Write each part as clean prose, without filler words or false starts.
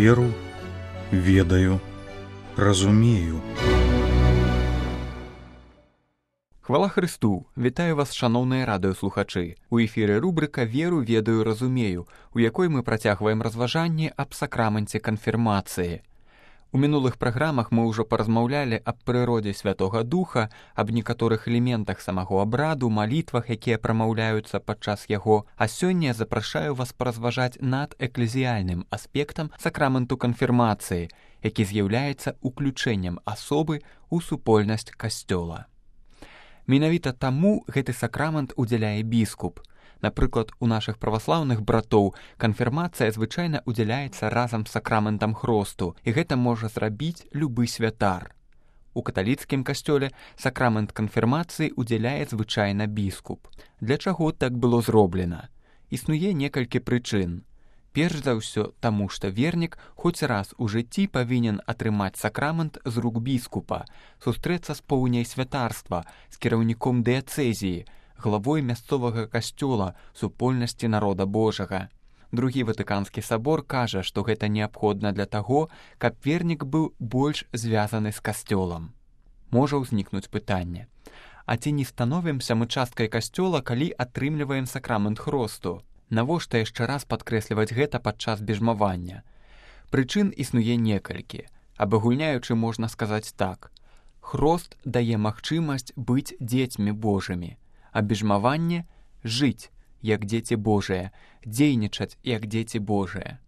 Веру, ведаю, разумею. Хвала Христу! Вітаю вас, шановныя радыёслухачы. У эфіры рубрыка «Веру, ведаю, разумею», у якой мы працягваем разважанне аб сакраменце канфірмацыі. У мінулых праграмах мы ўжо паразмаўлялі аб прыродзе Святога Духа, аб некаторых элементах самого абраду, малітвах, якія прамаўляюцца падчас яго, а сёння запрашаю вас паразважаць над эклезіяльным аспектам сакраменту канфірмацыі, які з'яўляецца уключэннем асобы ў супольнасць касцёла. Менавіта таму гэты сакрамент удзяляе біскуп. Напрыклад, у нашых праваслаўных братоў канфірмацыя звычайна удзяляецца разам з сакраментам хросту, і гэта можа зрабіць любы святар. У каталіцкім касцёле сакрамент канфірмацыі удзяляе звычайна біскуп. Для чаго так было зроблена? Існуе некалькі прычын. Перш за ўсё, таму што вернік хоць раз у жыцці павінен атрымаць сакрамент з рук біскупа, сустрэцца з поўняй святарства, з кіраўніком дыяцэзіі, главой мясцовага касцёла, супольнасці народа Божага. Другі Ватыканскі сабор кажа, што гэта неабходна для таго, каб вернік быў больш звязаны з касцёлам. Можа ўзнікнуць пытанне. А ці не становімся мы часткай касцёла, калі атрымліваем сакрамент хросту? Навошта яшчэ раз падкрэсліваць гэта падчас бежмавання? Прычын існуе некалькі. Абагульняючы можна сказаць так. Хрост дае магчымасць быць дзецьмі Божымі, а бежмаванне — жыць, як дзеці Божыя, дзейнічаць, як дзеці Божыя.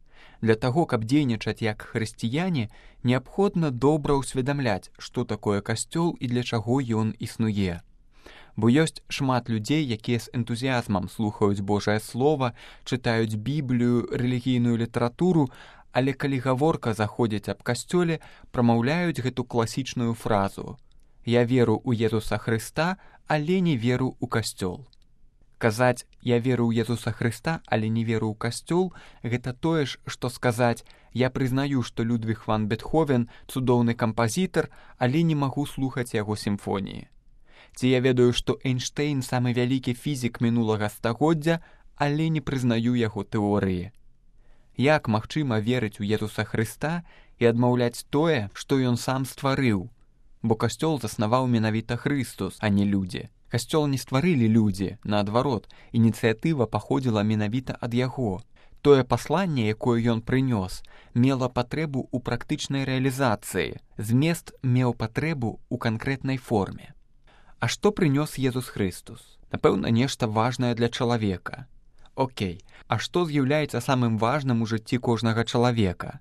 Для таго, каб дзейнічаць як хрысціяне, неабходна добра ўсведамляць, што такое касцёл і для чаго ён існуе. Бо ёсць шмат людзей, якія з энтузіязмам слухаюць Божае Слова, чытаюць Біблію, рэлігійную літаратуру, але калі гаворка заходзіць аб касцёле, прамаўляюць гэту класічную фразу «Я веру ў Езуса Хрыста, але не веру ў касцёл». Казаць «Я веру ў Езуса Хрыста, але не веру ў касцёл» — гэта тое ж, што сказаць «Я прызнаю, што Людвіг ван Бетховен цудоўны кампазітар, але не магу слухаць яго сімфоніі». Ці я ведаю, што Эйнштэйн самы вялікі фізік мінулага стагоддзя, але не прызнаю яго тэорыі. Як магчыма верыць у Езуса Хрыста і адмаўляць тое, што ён сам стварыў? Бо касцёл заснаваў менавіта Хрыстус, а не людзі. Касцёл не стварылі людзі, наадварот, ініцыятыва паходзіла менавіта ад яго. Тое пасланне, якое ён прынёс, мела патрэбу ў практычнай рэалізацыі, змест меў патрэбу ў канкрэтнай форме. А што прынёс Езус Хрыстус? Напэўна, нешта важнае для чалавека. Окей, а што з'яўляецца самым важным у жыцці кожнага чалавека?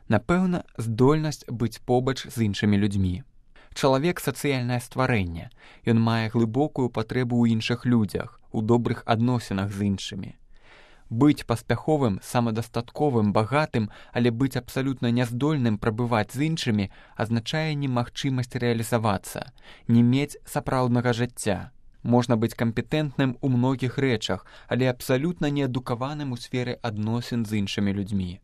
Напэўна, здольнасць быць побач з іншымі людзьмі. Чалавек — сацыяльнае стварэнне. Ён мае глыбокую патрэбу ў іншых людзях, у добрых адносінах з іншымі. Быць паспяховым, самадастатковым, багатым, але быць абсалютна няздольным прабываць з іншымі азначае немагчымасць рэалізавацца, не мець сапраўднага жыцця. Можна быць кампетэнтным у многіх рэчах, але абсалютна неадукаваным у сферы адносін з іншымі людзьмі.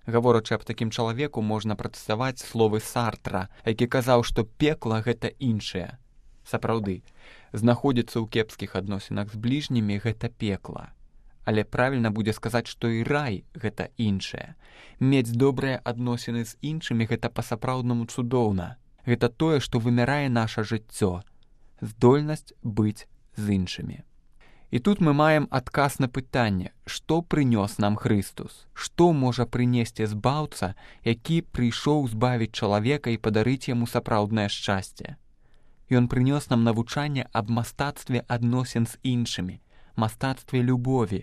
Гаворачы аб такім чалавеку, можна працаваць словы Сартра, які казаў, што пекла — гэта іншае. Сапраўды, знаходзіцца ў кепскіх адносінах з бліжнімі — гэта пекла. Але правільна будзе сказаць, што і рай — гэта іншае. Мець добрыя адносіны з іншымі — гэта па-сапраўднаму цудоўна. Гэта тое, што вымярае наша жыццё. Здольнасць быць з іншымі. І тут мы маем адказ на пытанне, што прынёс нам Хрыстус? Што можа прынесці збаўца, які прыйшоў збавіць чалавека і падарыць яму сапраўднае шчасце? Ён прынёс нам навучанне аб мастацтве адносін з іншымі, мастацтве любові.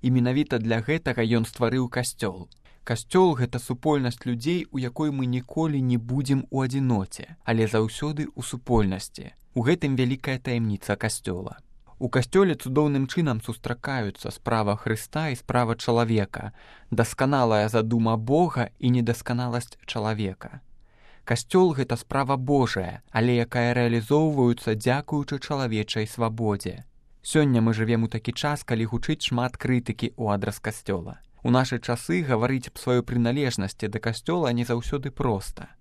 І менавіта для гэтага ён стварыў касцёл. Касцёл — гэта супольнасць людзей, у якой мы ніколі не будзем у адзіноце, але заўсёды ў супольнасці. У гэтым вялікая таямніца касцёла. У касцёле цудоўным чынам сустракаюцца справа Хрыста і справа чалавека, дасканалая задума Бога і недасканаласць чалавека. Касцёл — гэта справа Божая, але якая рэалізоўваецца дзякуючы чалавечай свабодзе. Сёння мы жывем у такі час, калі гучыць шмат крытыкі ў адрас касцёла. У нашы часы гаварыць аб сваёй прыналежнасці да касцёла не заўсёды проста.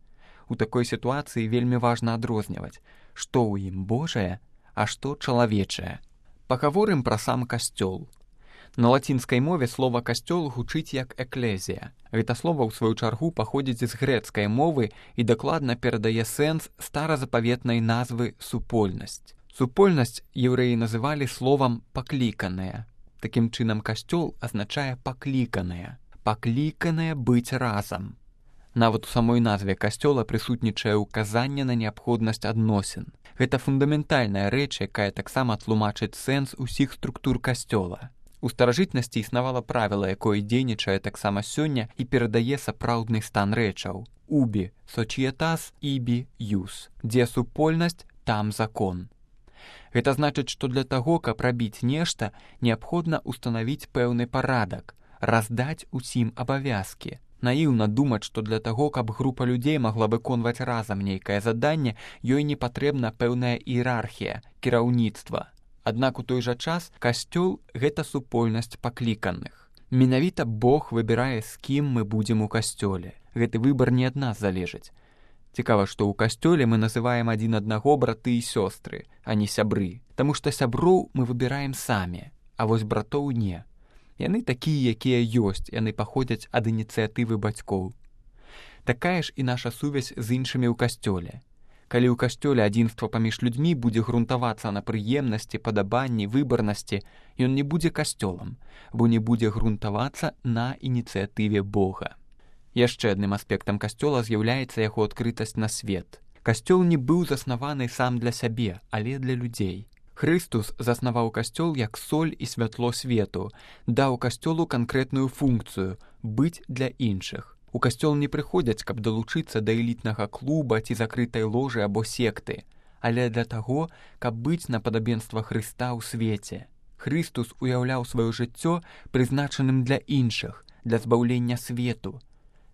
У такой сітуацыі вельмі важна адрозніваць, што ў ім Божае, а што чалавечае. Пагаворым пра сам касцёл. На лацінскай мове слова «касцёл» гучыць як «эклезія». Гэта слова, ў сваю чаргу, паходзіць з грэцкай мовы і дакладна перадае сэнс старазапаветнай назвы «супольнасць». Супольнасць еўрэі называлі словам «пакліканая». Такім чынам, касцёл азначае «пакліканая». Пакліканая быць разам. Нават у самой назве касцёла прысутнічае ўказанне на неабходнасць адносін. Гэта фундаментальная рэч, якая таксама тлумачыць сэнс усіх структур касцёла. У старажытнасці існавала правіла, якое дзейнічае таксама сёння і перадае сапраўдны стан рэчаў. Убі, societas, ibi, ius. Дзе супольнасць, там закон. Гэта значыць, што для таго, каб рабіць нешта, неабходна ўстанавіць пэўны парадак, раздаць усім абавязкі. Наіўна думаць, што для таго, каб група людзей магла выконваць разам нейкае заданне, ёй не патрэбна пэўная іерархія, кіраўніцтва. Аднак у той жа час касцёл – гэта супольнасць пакліканых. Менавіта Бог выбірае, з кім мы будзем у касцёле. Гэты выбар не ад нас залежыць. Цікава, што ў касцёле мы называем адзін аднаго браты і сёстры, а не сябры. Таму што сяброў мы выбіраем самі, а вось братоў не. Яны такія, якія ёсць, яны паходзяць ад ініцыятывы бацькоў. Такая ж і наша сувязь з іншымі ў касцёле. Калі ў касцёле адзінства паміж людзьмі будзе грунтавацца на прыемнасці, падабанні, выбарнасці, ён не будзе касцёлам, бо не будзе грунтавацца на ініцыятыве Бога. Яшчэ адным аспектам касцёла з'яўляецца яго адкрытасць на свет. Касцёл не быў заснаваны сам для сябе, але для людзей. Хрыстус заснаваў касцёл як соль і святло свету, даў касцёлу канкрэтную функцыю – быць для іншых. У касцёл не прыходзяць, каб далучыцца да элітнага клуба ці закрытай ложы або секты, але для таго, каб быць на падабенства Хрыста ў свеце. Хрыстус уяўляў сваё жыццё прызначаным для іншых, для збаўлення свету.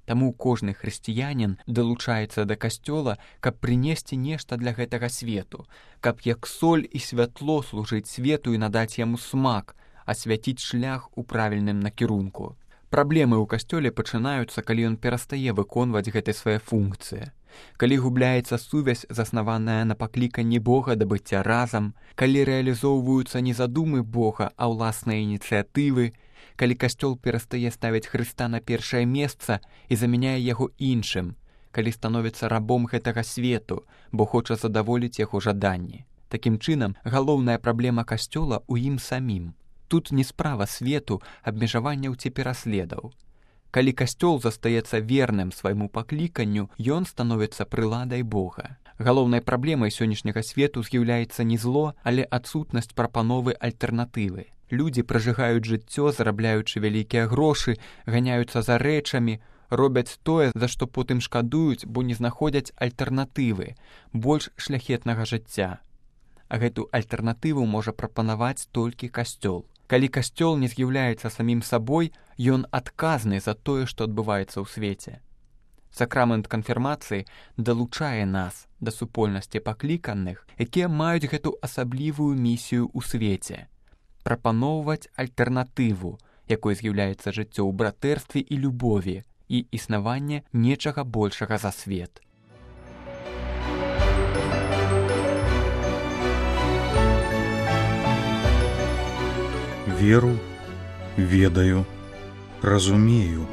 Таму кожны хрысціянін далучаецца да касцёла, каб прынесці нешта для гэтага свету, каб як соль і святло служыць свету і надаць яму смак, асвяціць шлях у правільным накірунку. Праблемы ў касцёле пачынаюцца, калі ён перастае выконваць гэтай свае функцыі. Калі губляецца сувязь, заснаваная на пакліканні Бога да быцця разам, калі рэалізоўваюцца не задумы Бога, а ўласныя ініцыятывы, калі касцёл перастае ставіць Хрыста на першае месца і замяняе яго іншым, калі становіцца рабом гэтага свету, бо хоча задаволіць яго жаданні. Такім чынам, галоўная праблема касцёла ў ім самім. Тут не справа свету, абмежаванняў ці пераследаў. Калі касцёл застаецца верным свайму пакліканню, ён становіцца прыладай Бога. Галоўнай праблемай сённяшняга свету з'яўляецца не зло, але адсутнасць прапановы альтэрнатывы. Людзі пражыгаюць жыццё, зарабляючы вялікія грошы, ганяюцца за рэчамі, робяць тое, за што потым шкадуюць, бо не знаходзяць альтэрнатывы, больш шляхетнага жыцця. А гэту альтэрнатыву можа прапанаваць толькі касцёл. Калі касцёл не з'яўляецца самім сабой, ён адказны за тое, што адбываецца ў свеце. Сакрамент канфірмацыі далучае нас да супольнасці пакліканых, якія маюць гэту асаблівую місію ў свеце. Прапаноўваць альтэрнатыву, якой з'яўляецца жыццё ў братэрстве і любові і існаванне нечага большага за свет. Веру, ведаю, разумею.